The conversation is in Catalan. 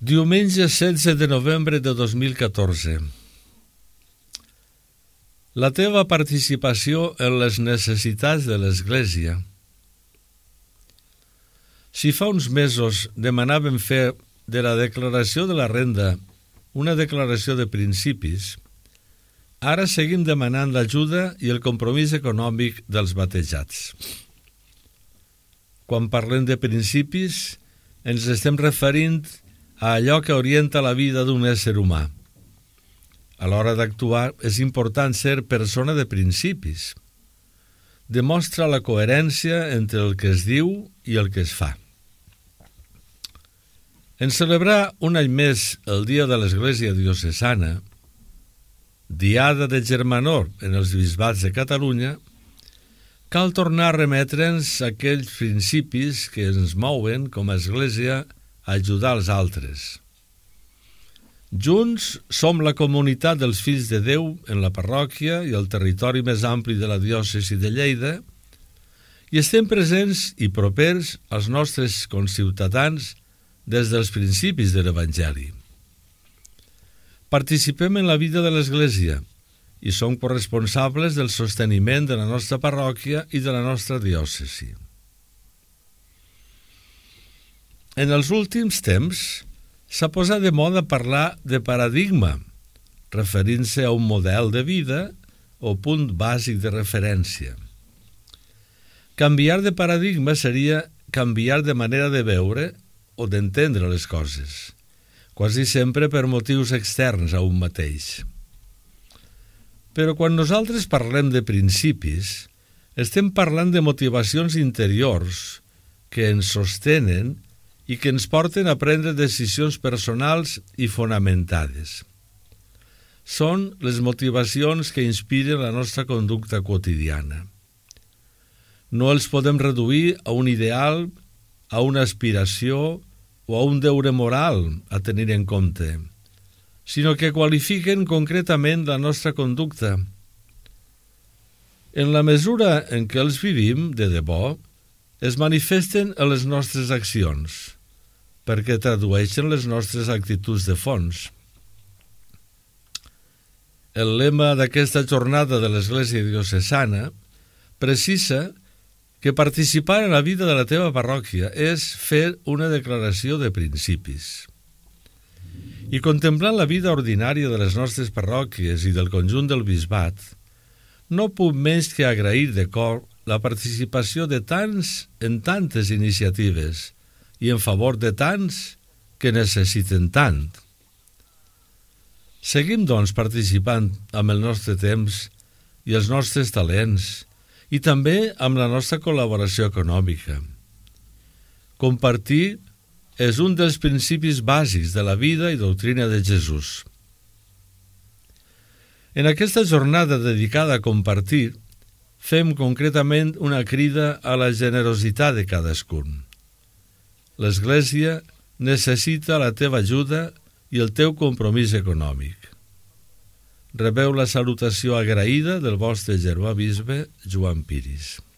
Diumenge 16 de novembre de 2014. La teva participació en les necessitats de l'Església. Si fa uns mesos demanàvem fer de la declaració de la renda una declaració de principis, ara seguim demanant l'ajuda i el compromís econòmic dels batejats. Quan parlem de principis, ens estem referint a allò que orienta la vida d'un ésser humà. A l'hora d'actuar és important ser persona de principis. Demostra la coherència entre el que es diu i el que es fa. En celebrar un any més el Dia de l'Església Diocesana, Diada de Germanor en els bisbats de Catalunya, cal tornar a remetre'ns a aquells principis que ens mouen com a Església a ajudar els altres. Junts som la comunitat dels fills de Déu en la parròquia i el territori més ampli de la diòcesi de Lleida i estem presents i propers als nostres conciutadans des dels principis de l'Evangeli. Participem en la vida de l'Església i som corresponsables del sosteniment de la nostra parròquia i de la nostra diòcesi. En els últims temps s'ha posat de moda parlar de paradigma, referint-se a un model de vida o punt bàsic de referència. Canviar de paradigma seria canviar de manera de veure o d'entendre les coses, quasi sempre per motius externs a un mateix. Però quan nosaltres parlem de principis, estem parlant de motivacions interiors que ens sostenen i que ens porten a prendre decisions personals i fonamentades. Són les motivacions que inspiren la nostra conducta quotidiana. No els podem reduir a un ideal, a una aspiració o a un deure moral a tenir en compte, sinó que qualifiquen concretament la nostra conducta. En la mesura en què els vivim de debò, es manifesten en les nostres accions, perquè tradueixen les nostres actituds de fons. El lema d'aquesta jornada de l'Església Diocesana precisa que participar en la vida de la teva parròquia és fer una declaració de principis. I contemplant la vida ordinària de les nostres parròquies i del conjunt del bisbat, no puc menys que agrair de cor la participació de tants en tantes iniciatives i en favor de tants que necessiten tant. Seguim, doncs, participant amb el nostre temps i els nostres talents i també amb la nostra col·laboració econòmica. Compartir és un dels principis bàsics de la vida i doctrina de Jesús. En aquesta jornada dedicada a compartir, fem concretament una crida a la generositat de cadascun. L'Església necessita la teva ajuda i el teu compromís econòmic. Rebeu la salutació agraïda del vostre germà bisbe Joan Piris.